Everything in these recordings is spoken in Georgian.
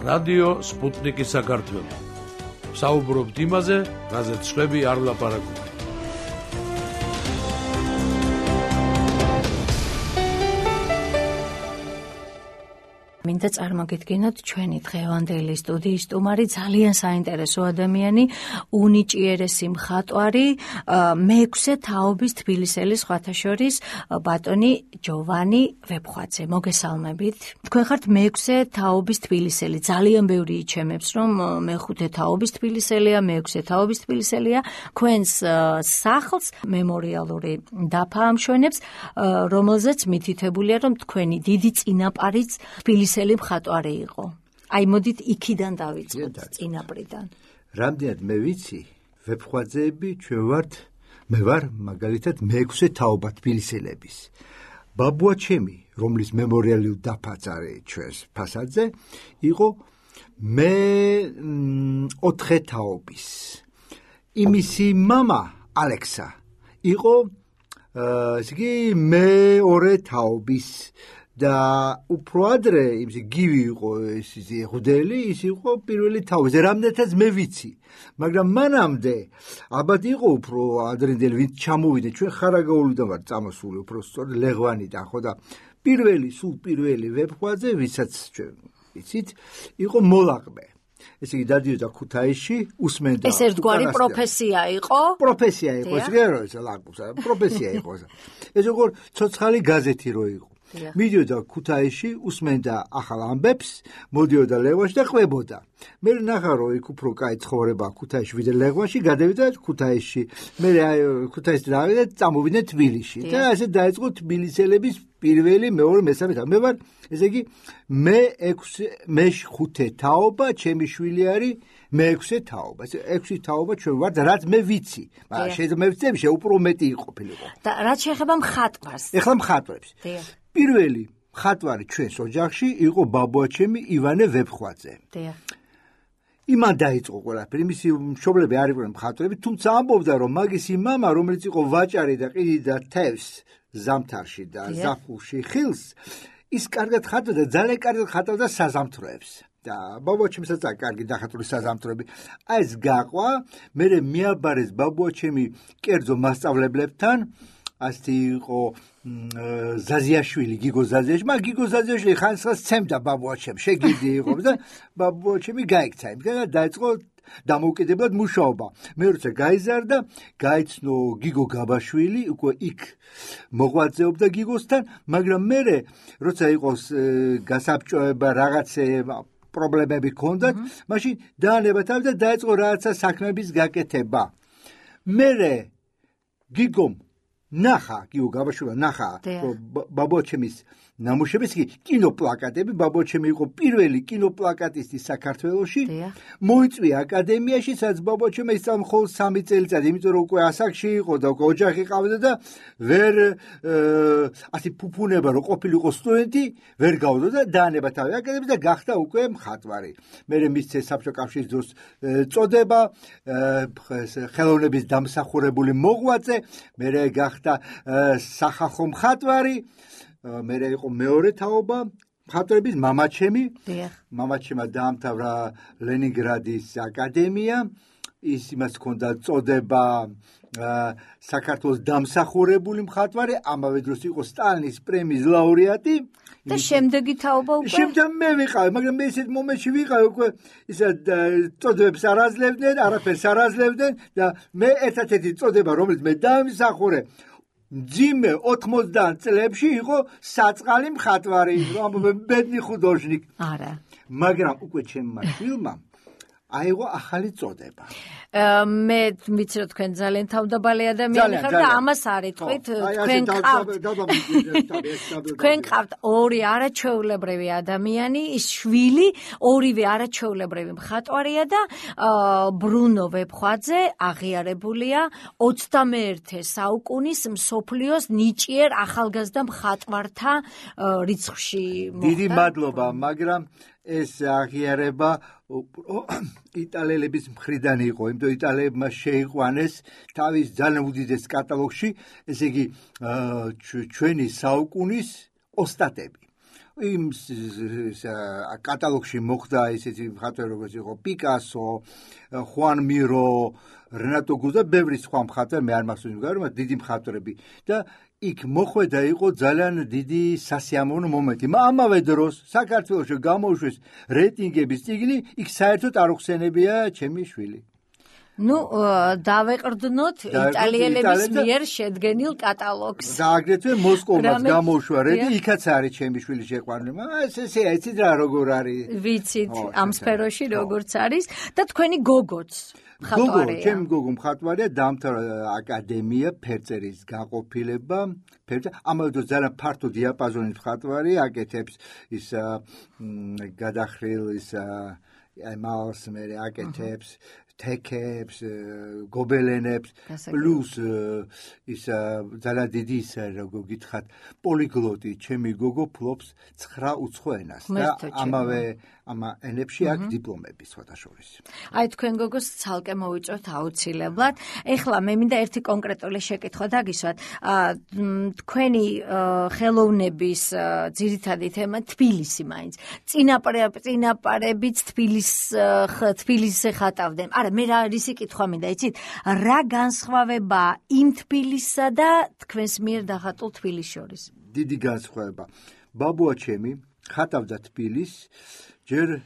რადიო სპუტნიკის საქართველო. საუბრობთ იმაზე, რაზეც სხვები არ ლაპარაკობენ. მინდა წარმოგიდგინოთ ჩვენი დღევანდელი სტუდიის სტუმარი, ძალიან საინტერესო ადამიანი, უნიჭიერესი მხატვარი, მეექვსე თაობის თბილისელის სხვათა შორის ბატონი ჯოვანი ვეფხვაძე. მოგესალმებით. თქვენ ხართ მეექვსე თაობის თბილისელი. ძალიან ბევრი იჩემებს, რომ მეხუთე თაობის თბილისელია, მეექვსე თაობის თბილისელია. თქვენს სახლს მემორიალური დაფა ამშვენებს, რომელზეც მითითებულია, რომ თქვენი დიდი წინაპარიც თბილისელი მხატვარი იყო. აი მოდით იქიდან დავიწყოთ წინაპრიდან. რამდენად მე ვიცი, ვეფხვაძეები მე ვარ მაგალითად მეექვსე თაობა თბილისელების. ბაბუა ჩემი, რომლის მემორიალური დაფაც არის ჩვენს ფასადზე, იყო მე 4 თაობის. იმისი მამა ალექსა იყო მე 2 თაობის. და უფრო ადრე იმისი გივი იყო ეს ღუდელი, ის იყო პირველი თაობის. რამდენადაც მე ვიცი, მაგრამ მანამდე ალბათ იყო უფრო ადრინდელი, ვინც ჩამოვიდა, ჩვენ ხარაგაულიდან ვარ წამოსული, უფრო სწორედ ლეღვანიდან, ხო და პირველი ვეფხვაძე, ვისაც ჩვენ ვიცით, იყო მოლაყბე. ესე იგი დადიოდა ქუთაისში, უსმენდა. ეს ერთგვარი პროფესია იყო? პროფესია იყო, ეს პროფესია იყო. ეს როგორ ცოცხალი გაზეთი რო იყო. მიდიოდა ქუთაისში, უსმენდა ახალ ამბებს, მოდიოდა ლეღვაში და ყვებოდა. მე ნახა რომ იქ უფრო კაი ცხოვრება ქუთაისში ვიდრე ლეღვაში, გადავიდა ქუთაისში. მე ქუთაისში დავიდა, წამოვიდა თბილისში. და ასე დაიწყო თბილისელების პირველი, მეორე, მესამე თაობა. მე ვარ, ესე იგი, მე 5 თაობა, ჩემი შვილი არის მე-6 თაობა. ეს 6 თაობა ჩვენ ვართ, რაც მე ვიცი. მაგრამ შეიძლება მე ვიცი, უფრო მეტი იყოფილიყო. და რაც შეეხება მხატვარს. ეხლა მხატვრებს. პირველი მხატვარი ჩვენს ოჯახში იყო ბაბუა ჩემი ივანე ვეფხვაძე. იმან დაიწყო ყველაფერი, მისი მშობლები არ იყვნენ მხატვრები, თუმცა ამბობდა, რომ მაგისი მამა, რომელიც იყო ვაჭარი და ყიდიდა თევზს ზამთარში და ზაფხულში ხილს, ის კარგად ხატავდა, ძალიან კარგად ხატავდა საზამთროებს. და ბაბუა ჩემსაც კარგი დახატული საზამთროები. აი ეს გაყვა, მე მიაბარეს ბაბუა ჩემი კერძო მასწავლებლებთან. ასეთი იყო ზაზიაშვილი, გიგო ზაზიაშვილი. მაგრამ გიგო ზაზიაშვილი ხანსხას ცემდა ბაბუა ჩემს, შეგირდი იყო და ბაბუა ჩემი გაიქცა. იმგან დაიწყო დამოუკიდებლად მუშაობა. მე როცა გაიზარდა, გაიცნო გიგო გაბაშვილი, უკვე იქ მოღვაწეობდა გიგოსთან, მაგრამ მე როცა იყოს გასაბჭოება რაღაცა პრობლემები ჰქონდათ, მაშინ დაანება თავი და დაიწყო რაღაცა საქმეების გაკეთება. მე გიგომ გიგო გაბაშვილმა ნახა ბაბუა ჩემის ნამუშევრებს, კინოპლაკატები, ბაბუა ჩემი იყო პირველი კინოპლაკატისტი საქართველოში, მოიწვია აკადემიაში, სადაც ბაბუა ჩემი ისწავლა მხოლოდ 3 წელიწადი, იმიტომ რომ უკვე ასაკში იყო და უკვე ოჯახი ყავდა და ვერ ასე ფუფუნება რომ ყოფილიყო სტუდენტი, ვერ გავდო და დაანება თავი აკადემიაში და გახდა უკვე მხატვარი. მე მისცეს საბჭოთა კავშირის დროს წოდება, ხელოვნების დამსახურებული მოღვაწე, მე გახდა სახალხო მხატვარი. მე იყო მეორე თაობა მხატვრების მამაჩემმა დაამთავრა ლენინგრადის აკადემია, ის იმას ჰქონდა წოდება საქართველოს დამსახურებული მხატვარი, ამავე დროს იყო სტალინის პრემიის ლაურეატი. და შემდეგი თაობა უკვე? შემდეგ მე ვიყავი, მაგრამ მე ისეთ მომენტში ვიყავი, უკვე ისა წოდებებს არ აძლევდნენ, არაფერს არ აძლევდნენ და მე ერთ-ერთი წოდება, რომელიც მე დაიმსახურე, ძიმე 80 წლებში იყო საწყალი მხატვარი, ბედნი ხუდოჟნიკ. არა. მაგრამ უკვე ჩემმა შვილმა აიღო ახალი წოდება. მე ვიცი რომ თქვენ ძალიან თავდაბალი ადამიანი ხართ და ამას არ იტყვით, თქვენ ყავთ 2 არაჩვეულებრივი ადამიანი, ის შვილი, 2-ვე არაჩვეულებრივი მხატვარია და ბრუნო ვეფხვაძე აღიარებულია 21 საუკუნის მსოფლიოს ნიჭიერ ახალგაზრდა მხატვართა რიცხვში. დიდი მადლობა, მაგრამ ეს აღიარება იტალიელების მხრიდან იყო, იმიტომ იტალიელებმა შეიყვანეს თავის ძალიან უდიდეს კატალოგში, ესე იგი ჩვენი საუკუნის ოსტატები. იმ კატალოგში მოხდა ისეთი მხატვარი როგორც იყო პიკასო, ხუან მირო, რენატო გუზა, ბევრი სხვა მხატვარი, მე არ მახსოვს მაგრამ დიდი მხატვრები და იქ მოხვედა იყო ძალიან დიდი სასიამოვნო მომენტი. ამავე დროს საქართველოში გამოუშვეს რეიტინგების წიგნი, იქ საერთოდ არ უხსენებია ჩემი შვილი. დავეყრდნოთ იტალიელების მიერ შედგენილ კატალოგს. და აგრეთვე მოსკოვმაც გამოუშვა რეიტინგი, იქაც არის ჩემი შვილი შეყვანილი. ესე იცით რა როგორ არის? ვიცით ამ სფეროში როგორც არის და თქვენი გოგოც მხატვარია. ჩემი გოგო მხატვარია, დაამთავრა აკადემია ფერწერის გაყოფილება, ამავე დროს ძალიან ფართო დიაპაზონის მხატვარი, აკეთებს ის გადახრილ ის ამალს მე აკეთებს თექებს, გობელენებს, პლუს ის ძალიან დიდი ის როგორ გითხათ, პოლიგლოტი, ჩემი გოგო ფლობს 9 უცხო ენას და ამავე ამ ენებში აქვს დიპლომები სხვადასხვის. აი თქვენ გოგოს ცალკე მოვიწვევთ აუცილებლად. ეხლა მე მინდა ერთი კონკრეტული შეკითხვა დაგისვათ. თქვენი ხელოვნების ძირითადი თემა თბილისი მაინც. წინაპარებიც თბილისზე ხატავდნენ. არა, მე რა რისი კითხვა მინდა, იცით? რა განსხვავება იმ თბილისსა და თქვენს მიერ დახატულ თბილისს შორის? დიდი განსხვავება. ბაბუა ჩემი ხატავდა თბილისს ჯერ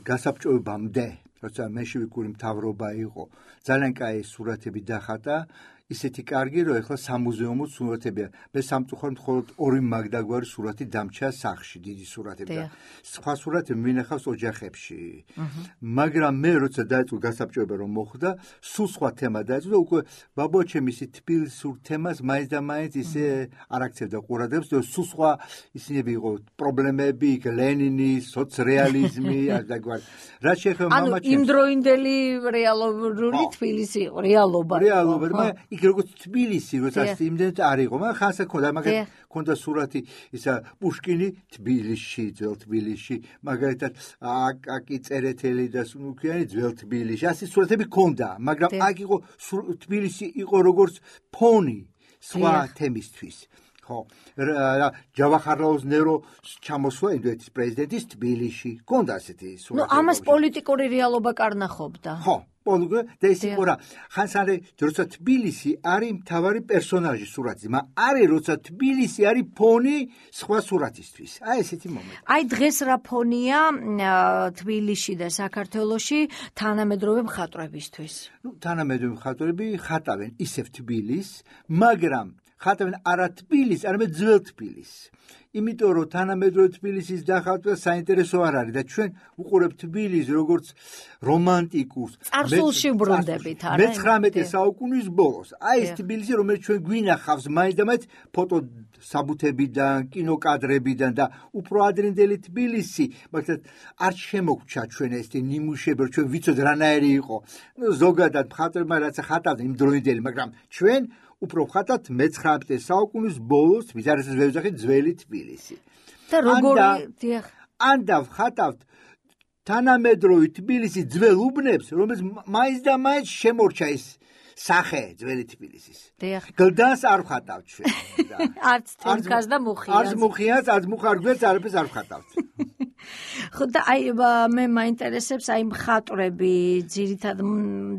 გასაბჭოებამდე, როცა მენშევიკური მთავრობა იყო, ძალიან კაი სურათები დახატა, ისეთი კარგი, რომ ეხლა სამუზეუმო სურათებია. მე სამწუხაროდ მხოლოდ 2 მაგდაგვარი სურათი დამჩა სახლში, დიდი სურათები და სხვა სურათები მინახავს ოჯახებში. მაგრამ მე როცა დაიწყო გასაბჭოება რომ მოხდა, სულ სხვა თემა დაიწყო და უკვე ბაბუა ჩემი ისე თბილისურ თემას მაინც და მაინც ისე არ აქცევდა ყურადღებას და სულ სხვა ისინები იყო პრობლემები, იქ ლენინი, სოცრეალიზმი, ასდაგვარი. რაც შეეხება მამაჩემს. ანუ იმდროინდელი რეალობური თბილისი იყო, რეალობა. იქ როგორც თბილისი, როცა იმდენად არ იყო, მაგრამ ხანსა ქონდა, მაგალითად ქონდა სურათი ისა პუშკინი თბილისში, ძველ თბილისში, მაგალითად აკაკი წერეთელი და სუნუქიანი ძველ თბილისში. ასე სურათები ქონდა, მაგრამ აქ იყო თბილისი იყო როგორც ფონი სხვა თემისთვის. ხო, ჯავახარლაუს ნერო ჩამოსვლა ინდოეთის პრეზიდენტის თბილისში. ქონდა ასეთი სურათი. ამას პოლიტიკური რეალობა კარნახობდა. ხო. და ის იყო რა, ხანსარე როცა თბილისი არის მთავარი პერსონაჟი სურათის, მაგრამ არის როცა თბილისი არის ფონი სხვა სურათისთვის. აი ესეთი მომენტი. აი დღეს რა ფონია თბილისში და საქართველოში თანამედროვე მხატვრებისთვის? თანამედროვე მხატვრები ხატავენ ისევ თბილისს, მაგრამ ხატავენ არა თბილისს, არამედ ძველ თბილისს. იმიტომ რომ თანამედროვე თბილისის დახატვა საინტერესო არ არის და ჩვენ უყურებთ თბილისს როგორც რომანტიკურს. წარსულში ვბრუნდებით, არა? მე-19 საუკუნის ბოლოს. აი ეს თბილისი, რომელიც ჩვენ გვინახავს მაინც და მაინც ფოტოსაბუთებიდან, კინოკადრებიდან და უფრო ადრინდელი თბილისი, მაგალითად არ შემოგჩა ჩვენ ეს ნიმუშები, ჩვენ ვიცოდეთ რანაირი იყო. ზოგადად მხატვრებმა რაც ხატავდნენ იმ დროინდელი, მაგრამ ჩვენ უფრო ხატავთ მე-19 საუკუნის ბოლოს, ვის არის ეს ვეძახით ძველი თბილისი. და როგორი ან დავხატავთ თანამედროვე თბილისი ძველ უბნებს, რომელიც მაინც და მაინც შემორჩა ის სახე ძველი თბილისის. გლდანს არ ვხატავთ ჩვენ. არც თემკას და მუხიანს. არც მუხიანს, არც მუხარგვერს არაფერს არ ვხატავთ. ხო და აი მე მაინტერესებს აი მხატვრები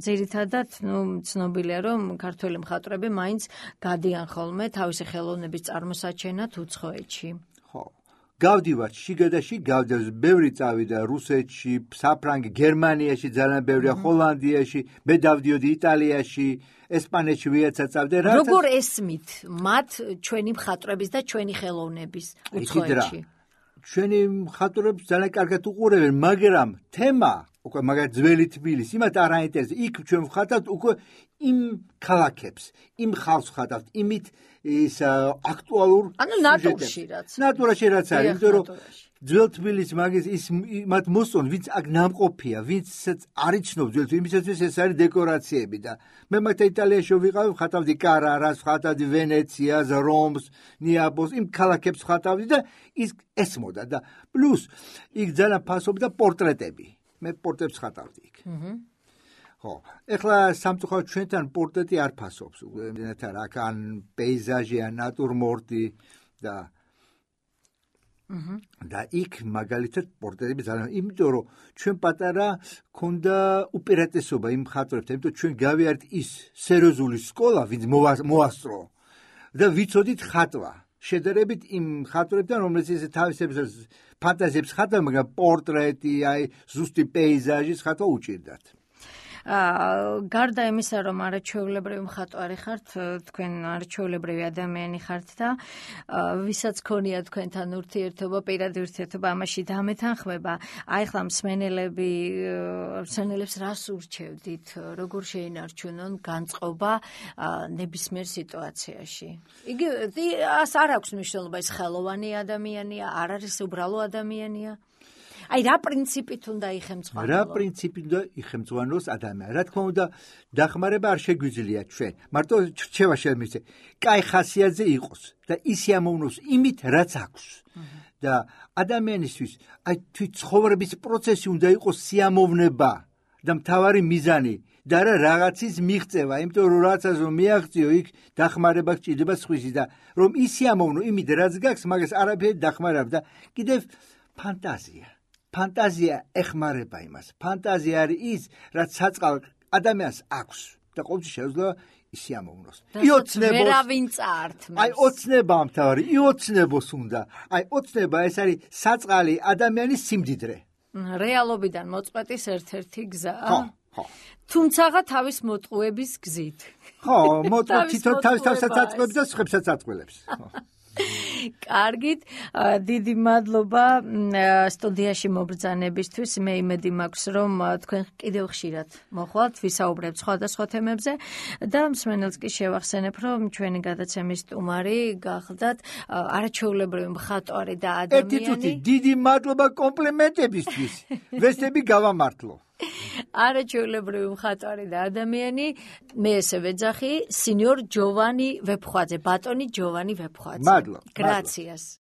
ძირითადად ცნობილია რომ ქართველი მხატვრები მაინც გადიან ხოლმე თავისი ხელოვნების წარმოსაჩენად უცხოეთში. ხო. გავდივართ შიგადაში, ბევრი წავიდა რუსეთში, საფრანგეთში, გერმანიაში ძალიან ბევრია, ჰოლანდიაში, მე დავდიოდი იტალიაში, ესპანეთში ვიაცა წავდე. როგორ ესმით მათ ჩვენი მხატვრების და ჩვენი ხელოვნების უცხოეთში? ჩვენი მხატვრებს ძალიან კარგად უყურებენ, მაგრამ თემა, უკვე მაგალითად ძველი თბილისი, იმათ არ აინტერესებს. იქ ჩვენ ვხატავთ უკვე იმ ქალაქებს, იმ ხალხს ვხატავთ, იმით ის აქტუალურ ნატურაში რაც. ნატურაში რაც არის, იმიტომ რომ ძველ თბილისს მაგის ის მათ მოსწონ, ვინც აქ ნამყოფია, ვინც არ იცნობს ძველ თბილისს, ეს არის დეკორაციები და მე მაგათ იტალიაში ვიყავი, ხატავდი კარარას, ხატავდი ვენეციას, რომს, ნეაპოლს, იმ ქალაქებს ხატავდი და ის ესმოდა და პლუს იქ ძალიან ფასობდა პორტრეტები. მე პორტრეტებს ხატავდი იქ. ხო, ეხლა სამწუხაროდ ჩვენთან პორტრეტი არ ფასობს, მდენად არ აქ ან პეიზაჟი, ან ნატურმორტი და და იქ მაგალითად პორტრეტები ძალიან, იმიტომ რომ ჩვენ პატარა ქონდა უპირატესობა იმ მხატვრებთან, იმიტომ ჩვენ გავიარეთ ის სერიოზული სკოლა, ვინც მოასწრო და ვიცოდით ხატვა. შედარებით იმ მხატვრებთან, რომელიც ესე თავისებს ფანტაზიებს ხატავენ, მაგრამ პორტრეტი, აი ზუსტი პეიზაჟის ხატვა უჭირდათ. გარდა იმისა, რომ არაჩვეულებრივი მხატვარი ხართ, თქვენ არაჩვეულებრივი ადამიანი ხართ და ვისაც ქონია თქვენთან ურთიერთობა, პირადი ურთიერთობა, ამაში დამეთანხმება. აი ხლა მსმენელებს რას ურჩევდით, როგორ შეინარჩუნონ განწყობა ნებისმიერ სიტუაციაში? იგი არ აქვს მნიშვნელობა, ის ხელოვანი ადამიანია, არ არის უბრალო ადამიანია? აი რა პრინციპით უნდა იხემწყვალოს? რა პრინციპით უნდა იხემწყვალოს ადამიანს? რა თქმა უნდა, დახმარება არ შეგვიძლია ჩვენ. მარტო რჩევა შემიძლია. კაი ხასიათზე იყოს და ის ამოვნოს იმით, რაც აქვს. და ადამიანისთვის აი თვით ცხოვრების პროცესი უნდა იყოს სიამოვნება და მთავარი მიზანი და რა რაღაცის მიღწევა, იმიტომ რომ რაღაცას რომ მიაღწიო, იქ დახმარება გჭირდება სხვისი და რომ ის სიამოვნო იმით, რაც გაქვს, მაგას არაფერი დახმარება და კიდევ ფანტაზია. ფანტაზია ეხმარება იმას. ფანტაზია არის ის, რაც საწყალ ადამიანს აქვს და ყოველთვის შეუძლია ისიამოვნოს. აი ოცნება ამთავარი, ოცნებოს უნდა. აი ოცნება ეს არის საწყალი ადამიანის სიმდიდრე. რეალობიდან მოწყვეტის ერთ-ერთი გზა. ხო. თუმცა თავის მოტყუების გზით. ხო, თვითონ თავსაც აწყობს და სხვებსაც აწყვილებს. კარგით, დიდი მადლობა სტუდიაში მობრძანებისთვის. მე იმედი მაქვს, რომ თქვენ კიდევ ხშირად მოხვალთ, ვისაუბრებთ სხვადასხვა თემებზე და მსმენელს კი შევახსენებ, რომ ჩვენი გადაცემის სტუმარი გახდათ არაჩვეულებრივი მხატვარი და ადამიანი. დიდი მადლობა კომპლიმენტებისთვის. ვესტები გავამართლო. არაჩვეულებრივი მხატვარი და ადამიანი, მე ესე ვეძახი, სინიორ ჯოვანი ვეფხვაძე, ბატონი ჯოვანი ვეფხვაძე. მადლობა. გრაციას.